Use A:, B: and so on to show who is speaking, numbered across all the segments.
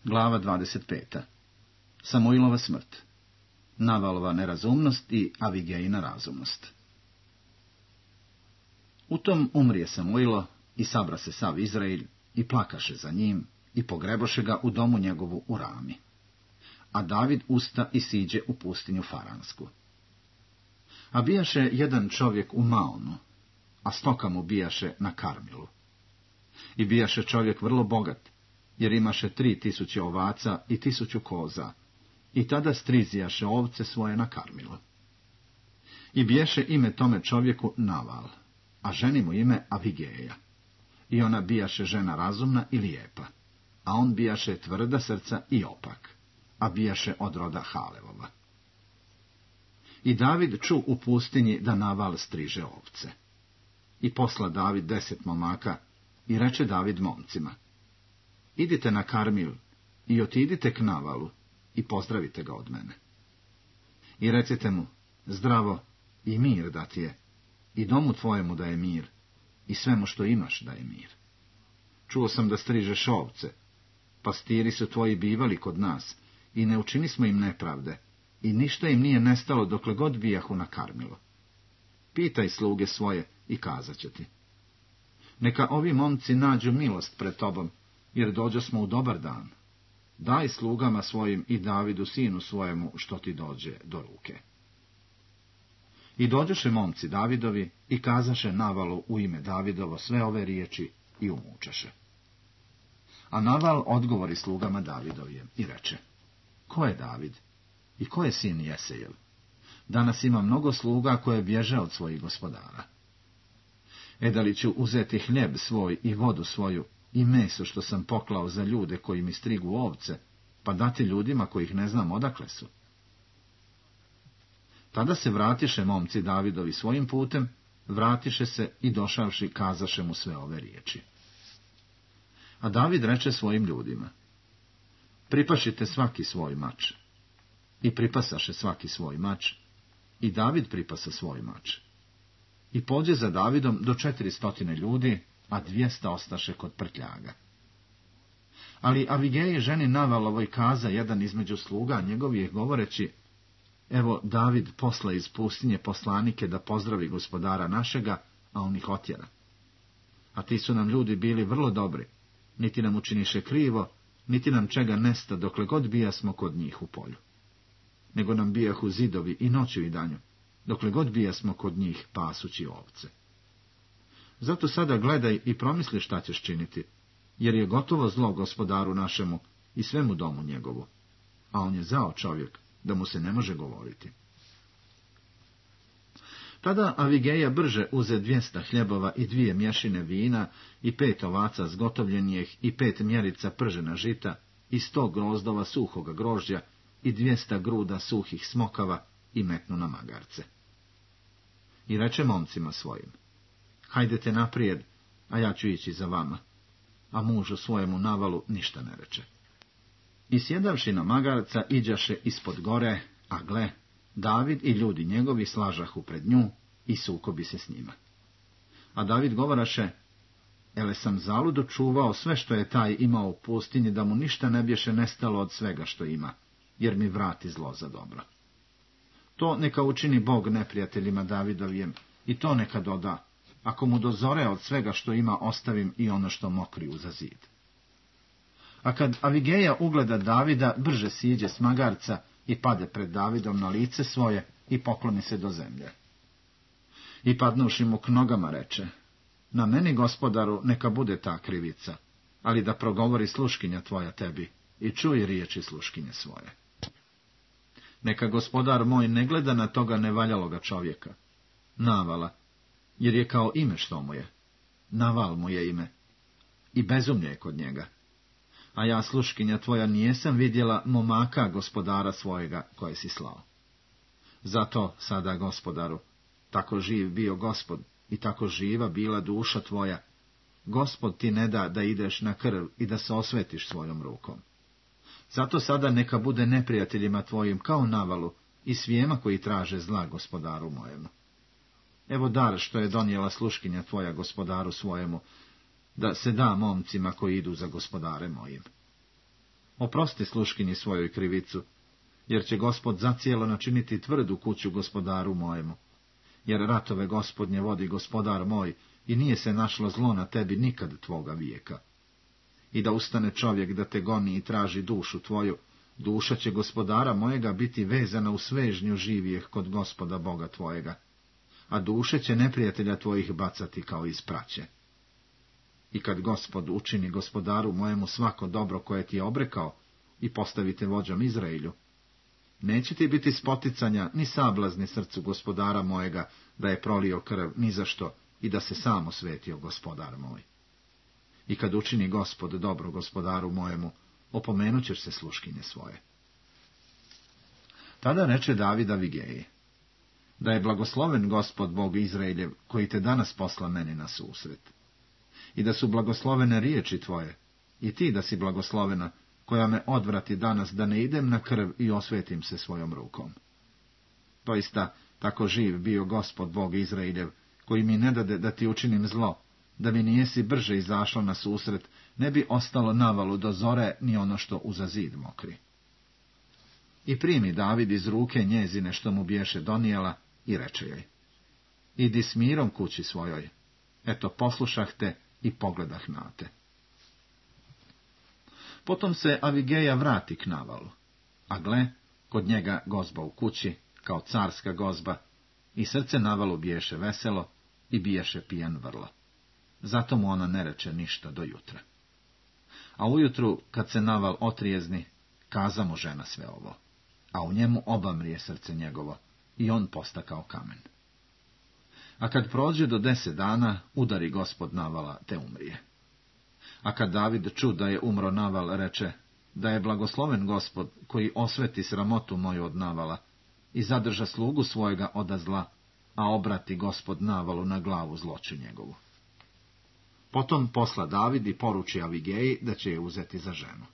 A: Glava 25. Samuilova smrt. Navalova nerazumnost i Avigejina razumnost. U tom umrije Samuilo i sabra se sav Izrael i plakaše za njim i pogreboše ga u domu njegovu u Rami. A David usta i siđe u pustinju Faransku. A bijaše jedan čovjek u Maonu, a stoka mu bijaše na Karmilu. I bijaše čovjek vrlo bogat, jer imaše 3000 ovaca i 1000 koza, i tada strizijaše ovce svoje na Karmilu. I bijaše ime tome čovjeku Naval, a ženi mu ime Avigeja. I ona bijaše žena razumna i lijepa, a on bijaše tvrda srca i opak, a bijaše od roda Halevova. I David ču u pustinji da Naval striže ovce. I posla David 10 momaka, i reče David momcima: idite na Karmil i otidite k Navalu i pozdravite ga od mene. I recite mu: zdravo i mir da ti je, i domu tvojemu da je mir, i svemu što imaš da je mir. Čuo sam da strižeš ovce, pastiri su tvoji bivali kod nas, i ne učini smo im nepravde, i ništa im nije nestalo dokle god bijahu na Karmilu. Pitaj sluge svoje i kazat će ti. Neka ovi momci nađu milost pred tobom, jer dođo smo u dobar dan. Daj slugama svojim i Davidu sinu svojemu što ti dođe do ruke. I dođoše momci Davidovi i kazaše Navalu u ime Davidovo sve ove riječi i umučeše. A Naval odgovori slugama Davidovije i reče: ko je David i ko je sin Jesejev? Danas ima mnogo sluga koje bježe od svojih gospodara. Da li ću uzeti hljeb svoj i vodu svoju i meso što sam poklao za ljude koji mi strigu ovce, pa dati ljudima kojih ne znam odakle su? Tada se vratiše momci Davidovi svojim putem, vratiše se i došavši kazaše mu sve ove riječi. A David reče svojim ljudima: pripašite svaki svoj mač. I pripasaše svaki svoj mač, i David pripasa svoj mač. I pođe za Davidom do 400 ljudi, a 200 ostaše kod prtljaga. Ali Avigeji ženi Navalovoj kaza jedan između sluga njegovih govoreći: evo David posla iz pustinje poslanike da pozdravi gospodara našega, a on ih otjera. A ti su nam ljudi bili vrlo dobri, niti nam učiniše krivo, niti nam čega nesta dokle god bijasmo kod njih u polju. Nego nam bijahu zidovi i noću i danju, dokle god bijasmo kod njih pasući ovce. Zato sada gledaj i promisli šta ćeš činiti, jer je gotovo zlo gospodaru našemu i svemu domu njegovu, a on je zao čovjek, da mu se ne može govoriti. Tada Avigeja brže uze 200 hljebova i 2 mješine vina i 5 ovaca zgotovljenih i 5 mjerica pržena žita i 100 grozdova suhoga grožđa i 200 gruda suhih smokava i metnu na magarce. I reče momcima svojim: hajdete naprijed, a ja ću ići za vama. A mužu svojemu Navalu ništa ne reče. I sjedavši na magarca iđaše ispod gore, a gle, David i ljudi njegovi slažahu pred nju i sukobi se s njima. A David govoraše: ele sam zaludo čuvao sve što je taj imao u pustinji, da mu ništa ne bješe nestalo od svega što ima, jer mi vrati zlo za dobro. To neka učini Bog neprijateljima Davidovijem, i to neka doda: ako mu dozore od svega što ima ostavim i ono što mokriju za zid. A kad Avigeja ugleda Davida, brže siđe s magarca i pade pred Davidom na lice svoje i pokloni se do zemlje. I padnuši mu k nogama reče: na meni, gospodaru, neka bude ta krivica, ali da progovori sluškinja tvoja tebi i čuj riječi sluškinje svoje. Neka gospodar moj ne gleda na toga nevaljaloga čovjeka, Navala, jer je kao ime što mu je. Naval mu je ime, i bezumlje je kod njega. A ja, sluškinja tvoja, nijesam vidjela momaka gospodara svojega koje si slao. Zato sada, gospodaru, tako živ bio Gospod i tako živa bila duša tvoja, Gospod ti ne da da ideš na krv i da se osvetiš svojom rukom. Zato sada neka bude neprijateljima tvojim kao Navalu i svijema koji traže zla gospodaru mojemu. Evo dar što je donijela sluškinja tvoja gospodaru svojemu, da se da momcima koji idu za gospodare mojim. Oprosti sluškinji svojoj krivicu, jer će Gospod zacijelo načiniti tvrdu kuću gospodaru mojemu. Jer ratove Gospodnje vodi gospodar moj, i nije se našlo zlo na tebi nikad tvoga vijeka. I da ustane čovjek da te goni i traži dušu tvoju, duša će gospodara mojega biti vezana u svežnju živijeh kod Gospoda Boga tvojega, a duše će neprijatelja tvojih bacati kao iz praće. I kad Gospod učini gospodaru mojemu svako dobro koje ti je obrekao i postavite vođom Izraelju, neće ti biti spoticanja ni sablazni srcu gospodara mojega da je prolio krv ni za što i da se sam osvetio gospodar moj. I kad učini Gospod dobro gospodaru mojemu, opomenut ćeš se sluškinje svoje. Tada reče David Avigeji: da je blagosloven Gospod Bog Izraeljev, koji te danas posla meni na susret. I da su blagoslovene riječi tvoje, i ti da si blagoslovena, koja me odvrati danas da ne idem na krv i osvetim se svojom rukom. Doista, tako živ bio Gospod Bog Izraeljev, koji mi ne dade da ti učinim zlo, da mi nijesi brže izašla na susret, ne bi ostalo navalu do zore ni ono što uza zid mokri. I primi David iz ruke njezine što mu biješe donijela i reče joj: idi s mirom kući svojoj, eto poslušah te i pogledah na te. Potom se Avigeja vrati k Navalu, a gle, kod njega gozba u kući, kao carska gozba, i srce Navalu biješe veselo i biješe pijan vrlo. Zato mu ona ne reče ništa do jutra. A ujutru, kad se Naval otrijezni, kaza mu žena sve ovo, a u njemu obamrije srce njegovo, i on posta kao kamen. A kad prođe do 10 dana, udari Gospod Navala, te umrije. A kad David ču da je umro Naval, reče: da je blagosloven Gospod, koji osveti sramotu moju od Navala i zadrža slugu svojega oda zla, a obrati Gospod Navalu na glavu zloću njegovu. Potom posla David i poruči Avigeji da će je uzeti za ženu.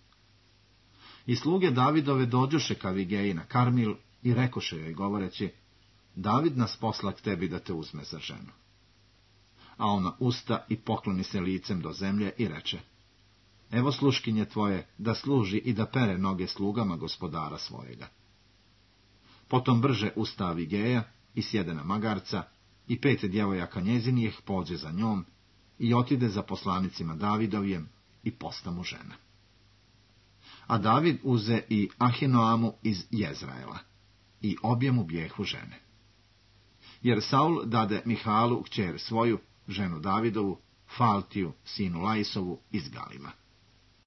A: I sluge Davidove dođoše k Avigeji na Karmil i rekoše joj govoreći: David nas posla k tebi da te uzme za ženu. A ona usta i pokloni se licem do zemlje i reče: evo sluškinje tvoje da služi i da pere noge slugama gospodara svojega. Potom brže usta Avigeja i sjede na magarca, i 5 djevojaka njezinijih pođe za njom i otide za poslanicima Davidovijem i posta mu žena. A David uze i Ahinoamu iz Jezraela, i obje mu bijehu žene. Jer Saul dade Mihalu kćer svoju, ženu Davidovu, Faltiju, sinu Laisovu, iz Galima.